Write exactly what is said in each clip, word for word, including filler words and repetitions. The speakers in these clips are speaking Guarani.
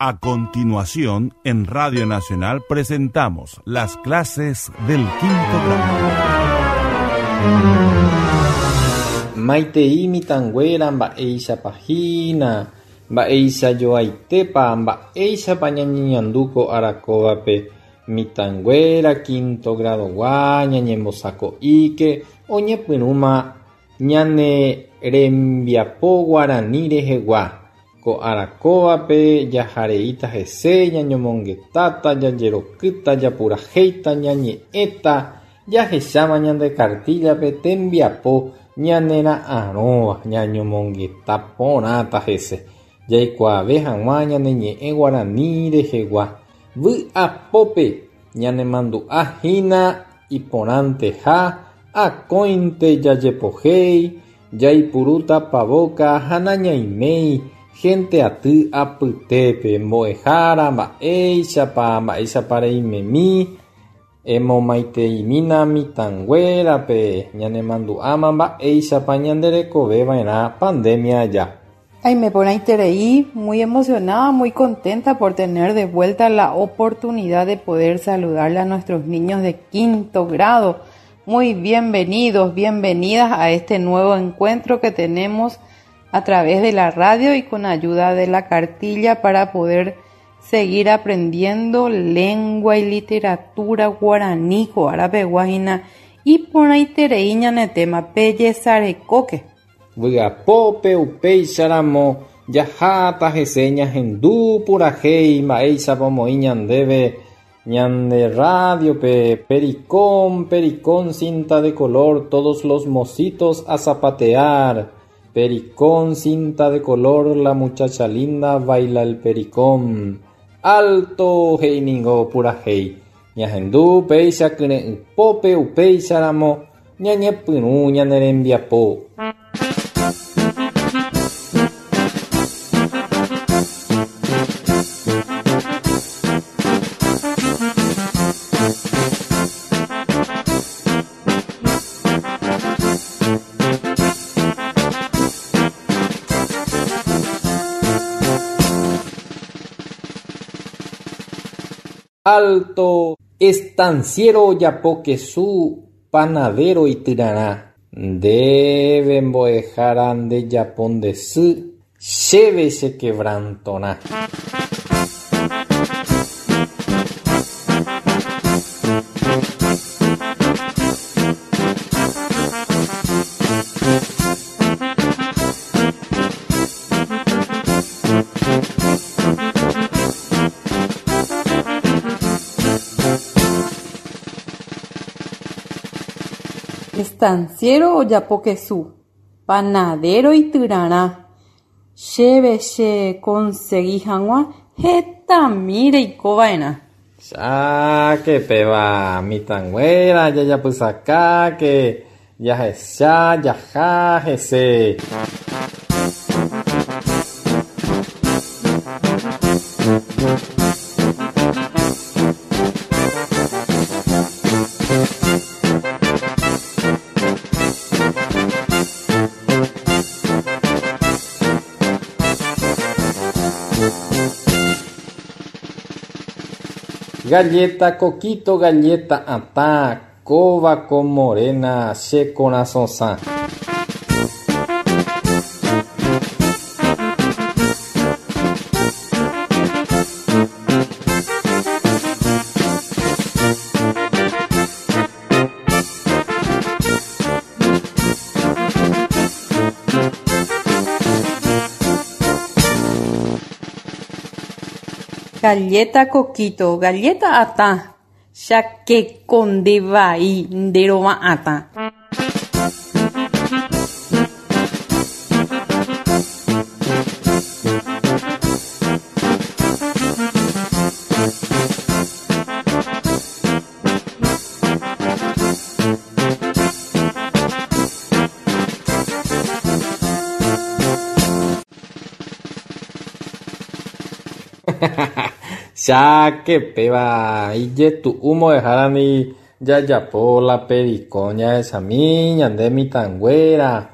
A continuación, en Radio Nacional presentamos las clases del quinto grado. Maitei mitãnguéra mba'éichapa hína, mba'eichajoaitépa, mba'éichapa ñañeñandu ko arakóvape mitãnguéra quinto gradogua ñañembosako'íke oñepyrũma ñane rembiapo guarani rehegua. Ko arakóvape jahareíta hese ñañomongetáta, jajerokýta, japurahéita, ñañe'ẽta, jahecháma ñande kartíllape tembiapo ñanera'ãrõva ñañomongeta porãta hese. Jaikuaave hag̃ua ñane ñe'ẽ guarani rehegua. Vy'apópe ñanemandu'ahína iporãnteha akóinte jajepohéi, jaipurúta pavóka ha nañaiméi gente aty apytépe mbo'ehára mba'éichapa mba'éichapa reimemi emomaiteimína mitãnguérape ñanemandu'áma mba'éichapa ñanderekoveva'erã pandemia aja. Ay, me porãiterei, muy emocionada, muy contenta por tener de vuelta la oportunidad de poder saludarle a nuestros niños de quinto grado. Muy bienvenidos, bienvenidas a este nuevo encuentro que tenemos a través de la radio y con ayuda de la cartilla para poder seguir aprendiendo lengua y literatura guaraní, árape guajina y porãiterei ñane tema pejesarekóke. Vy'apópe upéicharamo jaháta hese ñahendu purahéi mba'éichapa omoĩ ñandéve ñande radiope pericón, pericón, cinta de color, todos los mocitos a zapatear. Pericón, cinta de color, la muchacha linda baila el pericón. Alto he'iningo purahéi. Ñahendu péicha kyre'ỹpópe upéicharamo ñañepyrũ ñane rembiapo. Alto estanciero Yapokesu panadero ityrarã ndéve mbo'ehára ndejapo nde sy chéve chequebrantorã. Estanciero ojapokesu, panadero ityrarã chéve chekonsegui hag̃ua hetami reikova'erã. Cháke péva mitãnguéra jajapysakáke jahecha jaha hese. Galleta, coquito, galleta, atã, kóva ko morena che korasõsã. Galleta coquito, galleta atã, chakekondevai nderova'atã. Cháke péva ijetu'u mbo'ehárami jajapo la pericón jahechami ñande mitãnguéra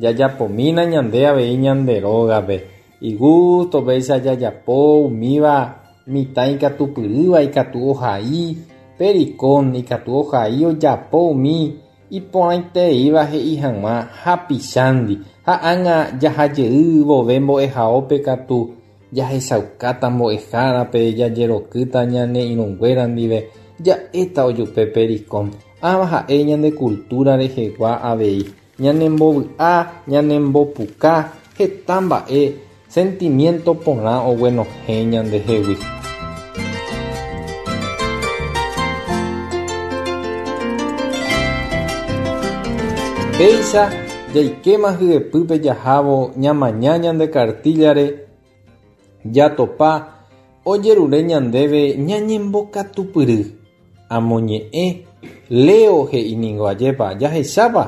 jajapomína ñande avei ñande rógape. Igusto péicha jajapo umíva mitã ikatupyrýva ikatu ohai Pericón ikatu ohai ojapo umi iporãitereíva he'i hag̃ua hapichándi ha ág̃a jahajey vove mbo'ehaópe katu jahechaukáta mbo'ehárape jajerokýta ñane irũnguéra ndive ja'éta ojupe Pericón. Ãva ha'e ñande cultura rehegua avei ñanembovy'a ñanembopuka heta mba'e sentimiento porã oguenohẽ ñandehegui. Péicha jaikéma hyepýpe jahávo ñamaña ñande cartillare jatopa ojerure ñandéve ñañembokatupyry amoñe'ẽ Leo he'i ningo ajépa jahechápa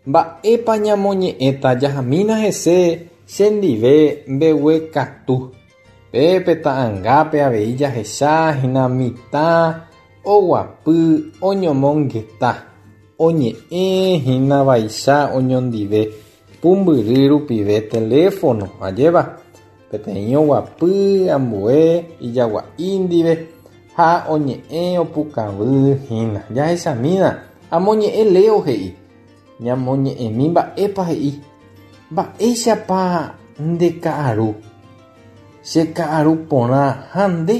mba'épa ñamoñe'ẽta jahamína hese chendive mbeguekatu pépe ta'ãngápe avei jahecháhina mitã oguapy oñomongeta oñe'ẽhína vaicha oñondive pumbyry rupive teléfono ajépa peteĩ oguapy ambue ijagua'i ndive ha oñe'ẽ opukavýhina jahechamína amoñe'ẽ Leo he'i ñamoñe'ẽmi mba'épa he'i mba'éichapa ndeka'aru cheka'aru porã ha nde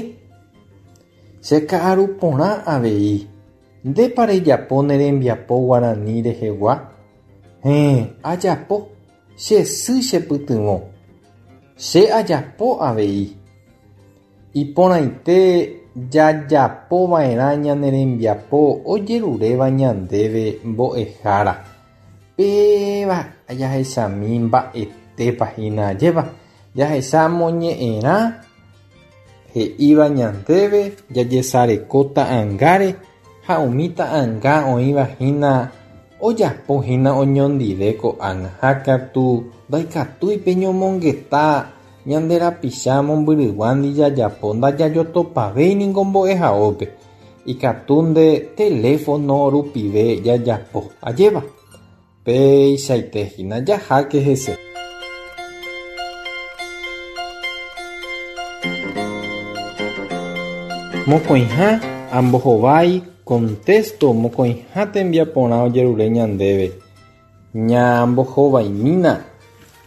cheka'aru porã avei ndépa rejapo ne rembiapo guarani rehegua héẽ ajapo che sy chepytyvõ che ajapo avei iporãite jajapova'erã ñane rembiapo ojeruréva ñandéve mbo'ehára péva jahechami mba'etépa hína ajépa jahecha moñe'ẽrã he'íva ñandéve jajesareko ta'ãngáre ha umi ta'ãnga oĩva hína ojapohína oñondive ko'ág̃a ha katu ndaikatúi peñomongeta ñande rapicha mombyryguándi jajapo ndajajotopavéi ningo mbo'ehaópe ikatu nde teléfono rupive jajapo ajépa peichaite hína jaháke hese. Mokõiha ambohovái contesto mokõiha tembiaporã ojerure ñandéve ñambohovaimína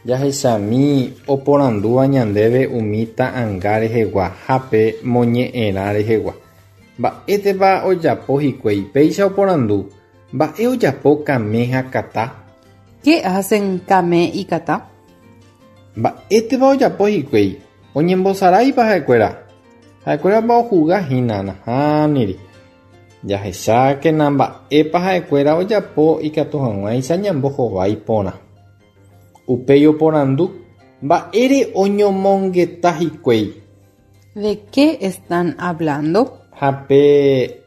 jahechami oporandúva ñandéve umi ta'ãnga rehegua ha pe moñe'ẽrã rehegua mba'étepa ojapo hikuái péicha oporandu mba'e ojapo Kame ha Kata. ¿Qué hacen Kame y Kata? Mba'étepa ojapo hikuái oñembosaráipa ha'ekuéra ha'ekuérapa ohugahína nahániri jahechákena mba'épa ha'ekuéra ojapo ikatu hag̃uáicha ñambohovái porã upéi oporandu mba'ére oñomongeta hikuái. ¿De qué están hablando? Ha pe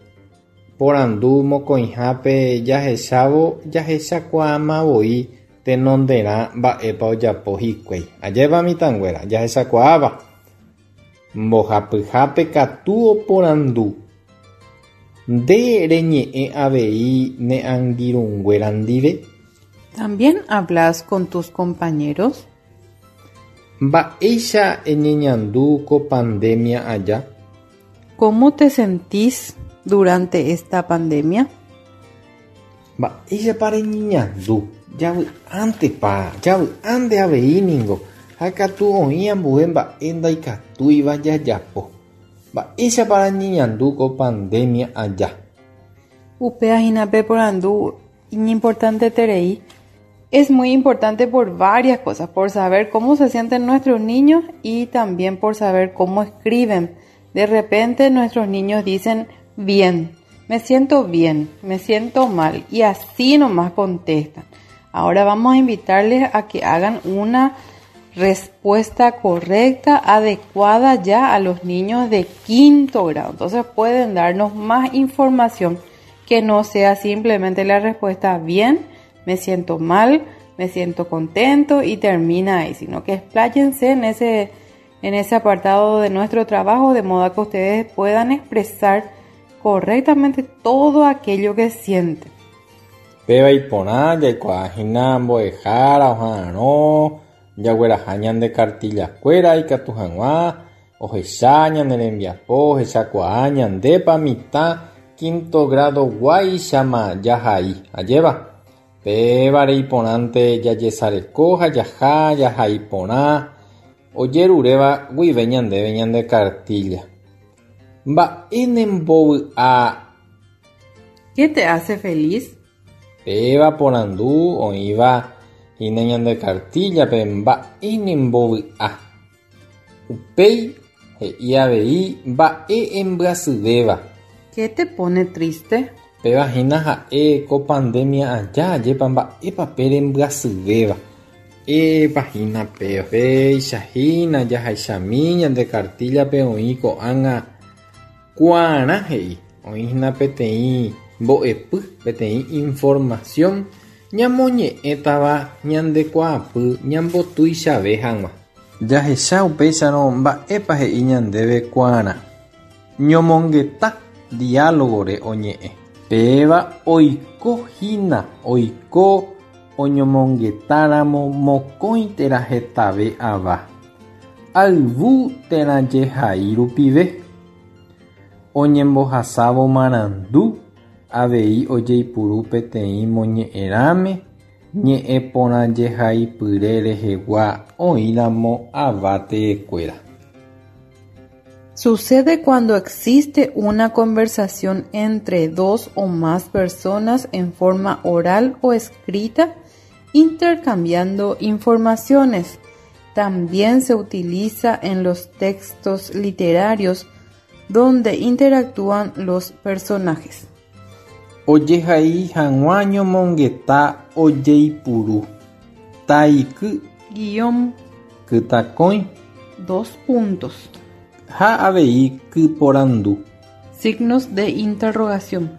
porandu mokõihápe jahechávo jahechakuaamavoi tenonderã mba'épa ojapo hikuái ajépa mitãnguéra jahechakuaáva mbohapyhápe katu oporandu nde reñe'ẽ avei ne angirũnguéra ndive. ¿También hablas con tus compañeros? Mba'éicha eñeñandu ko pandemia aja. ¿Cómo te sentís durante esta pandemia? Mba'éichapa reñeñandu javy'ántepa javy'ánte avei ningo ha katu oĩ ambue mba'e ndaikatúiva jajapo mba'éichapa reñeñandu ko pandemia aja. Upéva hína pe porandu iñimportanteterei. Es muy importante por varias cosas, por saber cómo se sienten nuestros niños y también por saber cómo escriben. De repente nuestros niños dicen bien, me siento bien, me siento mal y así nomás contestan. Ahora vamos a invitarles a que hagan una respuesta correcta, adecuada ya a los niños de quinto grado. Entonces pueden darnos más información que no sea simplemente la respuesta bien, me siento mal, me siento contento y termina ahí, sino que expláyense en ese, en ese apartado de nuestro trabajo de modo que ustedes puedan expresar correctamente todo aquello que sienten. Péva iporã jaikuaahína mbo'ehára oha'arõ Jagueraha ñande cartillakuéra ikatu hag̃ua ohecha ñane rembiapo, ohechakuaa ñandépa mitã quinto grado guáichama jahai. Ajéva pévare iporãnte jajesareko ha jaha jahai porã ojeruréva guive ñandéve ñande cartilla. Mba'e nembovy'a. ¿Qué te hace feliz? Péva porandu oĩva hína ñande cartillape mba'e nembovy'a. Upéi he'i avei mba'e embyasyvéva. ¿Qué te pone triste? Péva hína ha'e ko pandemia aja ajépa mba'épa pe rembyasyvéva. Épa hína péva. Péicha hína jahechami ñande cartillape oĩ ko'ág̃a kuaarã he'i. Oĩ hína peteĩ mbo'epy, peteĩ información ñamoñe'ẽtava ñandekuaapy ñambotuichave hag̃ua. Jahecha upéicharõ mba'épa he'i ñandéve kuaarã. Ñomongeta diálogore oñe'ẽ. Péva oiko hína, oiko oñomongetáramo mokõi térã hetave ava. Ayvu térã jehai rupive. Oñembohasávo marandu avei ojeipuru peteĩ moñe'ẽrãme ñe'ẽporãjehaipyre rehegua oĩramo ava teekuéra. Sucede cuando existe una conversación entre dos o más personas en forma oral o escrita, intercambiando informaciones. También se utiliza en los textos literarios donde interactúan los personajes. Ojehai hag̃ua ñomongeta ojeipuru. Taiky Guión kytakõi dos puntos. Ha avei kyporandu. Signos de interrogación.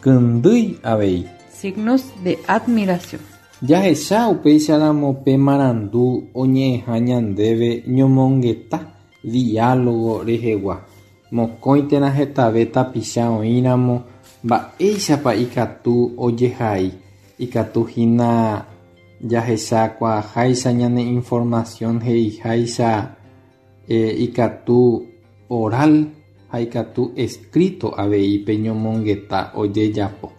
Kyndýi avei. Signos de admiración. Jahecha upéicharamo pe marandu oñe'ẽha ñandéve ñomongeta diálogo rehegua. Mokõi térã hetave tapicha oĩramo mba'éichapa ikatu ojehai. Ikatu hína jahechakuaaháicha ñane información he'iháicha eh, ikatu oral ha ikatu escrito avei pe ñomongeta ojejapo.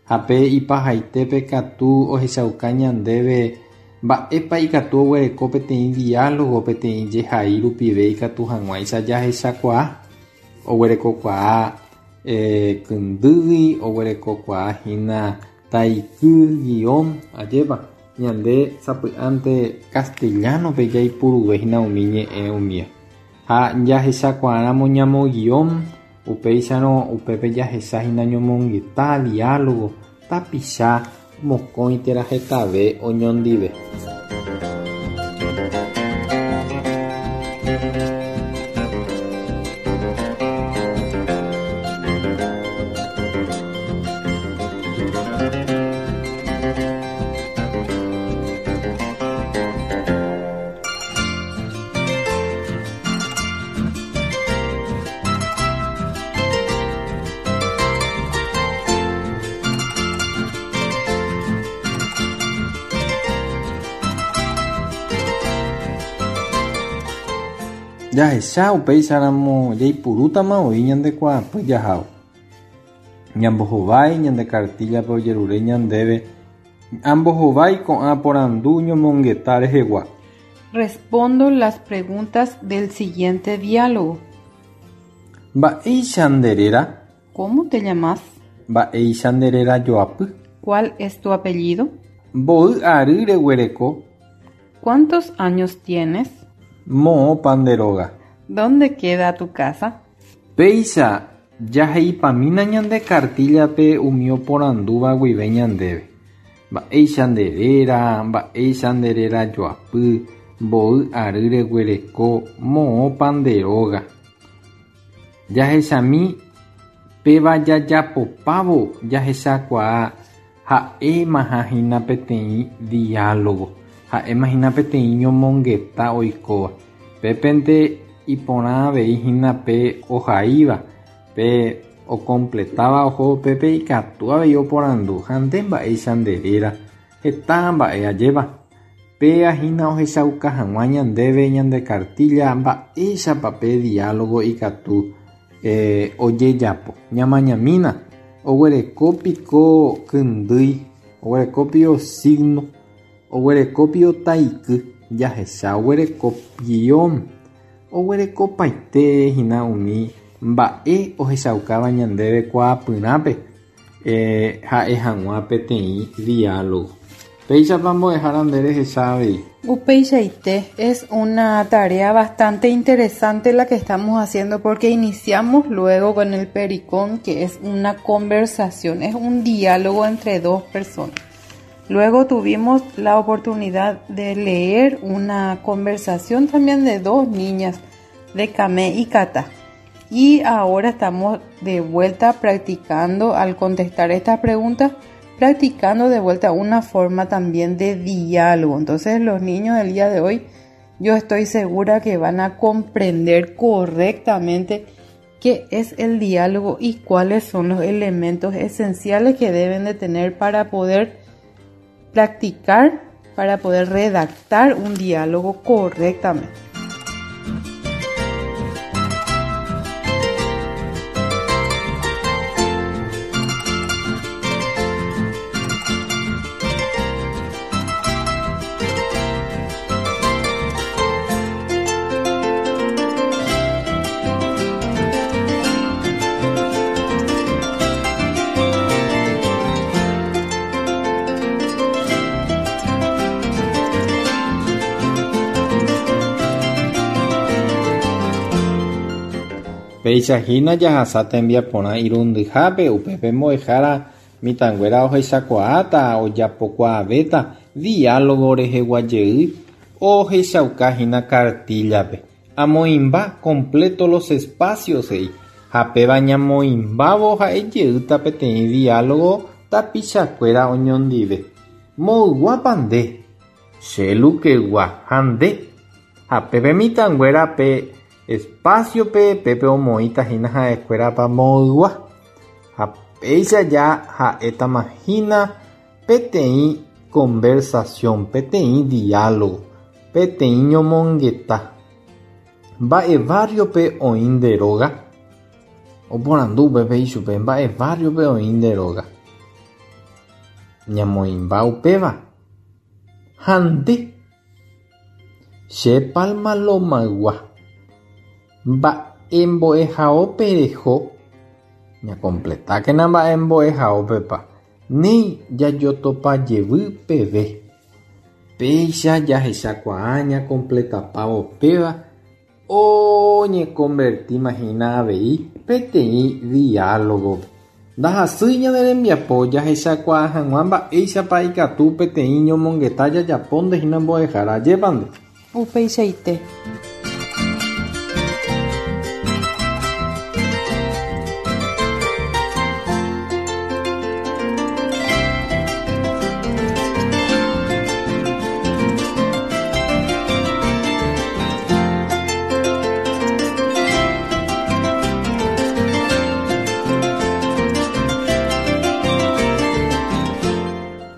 Ha pe ipahaitépe katu ohechauka ñandéve mba'épa ikatu oguereko peteĩ diálogo peteĩ jehai rupive ikatu hag̃uáicha jahechakuaa. Oguerekokuaa eh, kyndýi, oguerekokuaa hína taiky guión ajépa ñande sapy'ánte castellanope jaipuruve hína umi ñe'ẽ umía. Ha jahechakuaáramo ñamo guión upéicharõ upépe jahecha hína ñomongeta diálogo tapicha mokõi térã hetave oñondive. Jahecha upéicharamo jaipurútama oĩ ñandekuaapy jahávo. Ñambohovái ñande cartillape ojerure ñandéve ambohovái ko'ã porandu ñomongeta rehegua. Respondo las preguntas del siguiente diálogo. Mba'éicha nde réra? ¿Cómo te llamas? Mba'éicha nde réra joapy? ¿Cuál es tu apellido? Mboy ary reguereko? ¿Cuántos años tienes? Moõpa nde róga? ¿Dónde queda tu casa? Péicha jaheipamína ñande cartillape umi oporandúva guive ñandéve. Mba'éicha nde réra, mba'éicha nde réra joapy, mboy ary reguereko, moõpa nde róga. Jahechami péva jajapopávo jahechakuaa ha'émaha hína peteĩ diálogo. Ha'éma hína peteĩ ñomongeta oikóva. Pépente iporã avei hína pe ohaíva, pe ocompletaba oho pépe ikatu avei oporandu ha nde mba'éicha nde réra heta mba'e ajéva. Péa hína ohechauka hag̃ua ñandéve ñande cartilla mba'éichapa pe diálogo ikatu eh, ojejapo. Ñamañamína oguerekópiko kyndýi, oguerekópio signo, oguerekópio taiky, jahecha oguerekópio oguerekopaite hína umi mba'e ohechaukáva ñandéve kuaapyrãpe eh, ha'e hag̃ua peteĩ diálogo. Péichapa mbo'ehára nde rehecha avei. Upeichaite, es una tarea bastante interesante la que estamos haciendo porque iniciamos luego con el pericón, que es una conversación, es un diálogo entre dos personas. Luego tuvimos la oportunidad de leer una conversación también de dos niñas, de Kame y Kata. Y ahora estamos de vuelta practicando, al contestar estas preguntas, practicando de vuelta una forma también de diálogo. Entonces los niños del día de hoy, yo estoy segura que van a comprender correctamente qué es el diálogo y cuáles son los elementos esenciales que deben de tener para poder practicar, para poder redactar un diálogo correctamente. Péicha hína jahasa tembiaporã irundyhápe upépe mbo'ehára mitãnguéra ohechakuaáta ojapokuaavéta diálogo rehegua jey ohechaukahína cartilla-pe. Amoĩmba completo los espacios he'i ha péva ñamoĩmbávo ha'ejeýta peteĩ diálogo tapichakuéra oñondive. Moyguápa nde, che Lukegua ha nde. Ha pépe mitãnguéra pe espacio-pe pépe omoĩta hína ha'ekuérapa moygua. Ha péicha ja ha'étama hína peteĩ conversación, peteĩ diálogo, peteĩ ñomongeta. Mba'e barrio-pe oĩ nde róga? Oporandu upépe ichupe mba'e barrio-pe oĩ nde róga. Ñamoĩmba upéva. Ha nde. Che Palma Lomaygua. Mba'e mbo'ehaópe reho. Ñacompletákena mba'e mbo'ehaópepa. Néi jajotopajevy peve. Péicha jahechakuaa ñacompletapávo péva oñeconvertíma hína avei peteĩ diálogo. Ndahasýi ñane rembiapo jahechakuaa hag̃ua mba'éichapa ikatu peteĩ ñomongeta jajapo hína mbo'ehára ajépa nde. Upeichaite.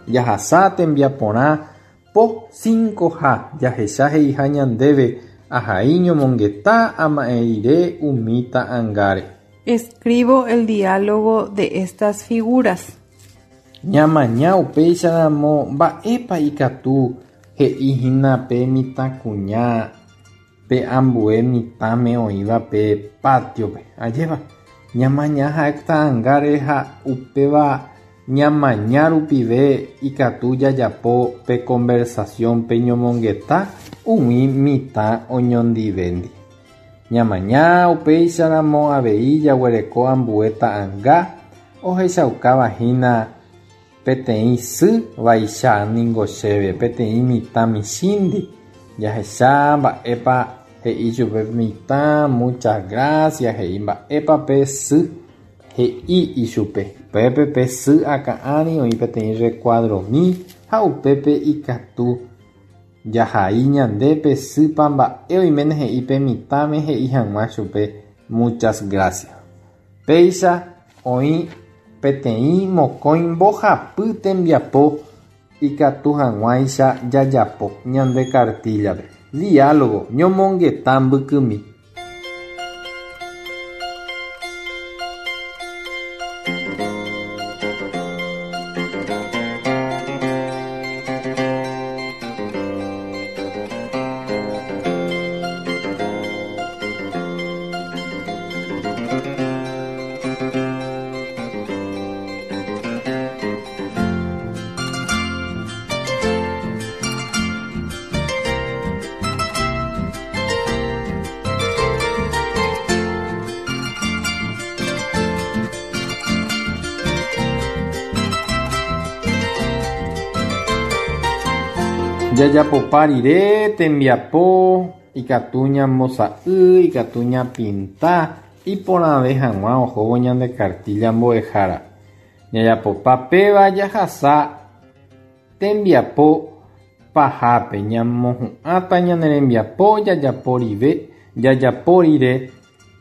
Jahasa tembiaporã po cinco ha jahecha he'iha ñandéve ahai ñomongeta ama'ẽ rire umi ta'ãngáre. Escribo el diálogo de estas figuras. Ñamaña upéicharamo mba'épa ikatu he'ihína pe mitãkuña pe ambue mitãme oĩva pe patio-pe. Ajépa ñamaña ha'e ta'ãngáre ha upéva ñamaña rupive ikatu jajapo pe conversación pe ñomongeta umi mitã oñondivéndi. Ñamaña upéicharamo avei jaguereko ambue ta'ãnga ohechaukáva hína peteĩ sy vaicha ningo chéve peteĩ mitã michĩndi. Jahecha mba'épa he'i chupe mitã muchas gracias he'i mba'épa pe sy he'i ichupe. Upépe pe sy akã'ári oĩ peteĩ recuadromi ha upépe ikatu jahai ñande pe sýpa mba'e oiméne he'i pe mitãme he'i hag̃ua chupe muchas gracias. Péicha oĩ peteĩ mokõi mbohapy tembiapo Ikatu hag̃uáicha jajapo ñande kartíllape. Diálogo ñomongeta mbykymi. Jajapopa rire tembiapo ikatu ñambosa'y, ikatu ñapinta iporãve hag̃ua ohóvo ñande kartílla mbo'ehára. Jajapopa péva jahasa tembiapo pahápe ñamohu'ãta ñane rembiapo jajapo rive jajapo rire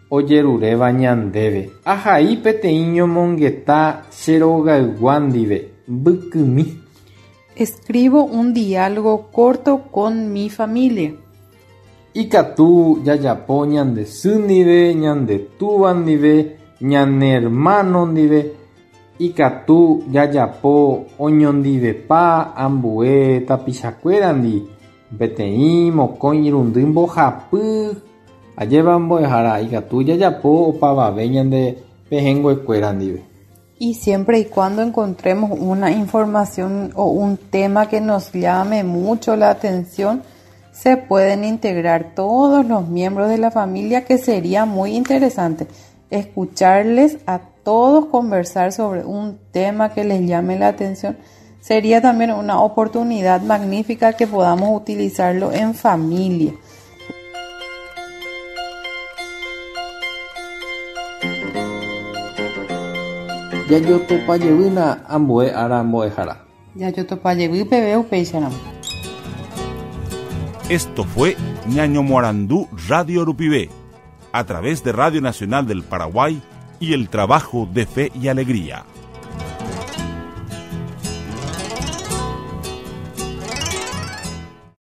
ojeruréva ñandéve. Ahai peteĩ ñomongeta che rogaygua ndive mbykymi. Escribo un diálogo corto con mi familia. Ikatu jajapo ñande sy ndive, ñande túva ndive, ñane hermano ndive. Ikatu jajapo oñondivepa ambue tapichakuéra ndi. Peteĩ mokõi irundy mbohapy ajépa mbo'ehára ikatu jajapo opavave ñande pehẽnguekuéra ndive. Y siempre y cuando encontremos una información o un tema que nos llame mucho la atención, se pueden integrar todos los miembros de la familia, que sería muy interesante escucharles a todos conversar sobre un tema que les llame la atención. Sería también una oportunidad magnífica que podamos utilizarlo en familia. Jajotopajevýna ambue ára mbo'ehára. Jajotopajevy peve upéicharamo. Esto fue Ñañomoarandu Radio Rupive, a través de Radio Nacional del Paraguay y el trabajo de Fe y Alegría.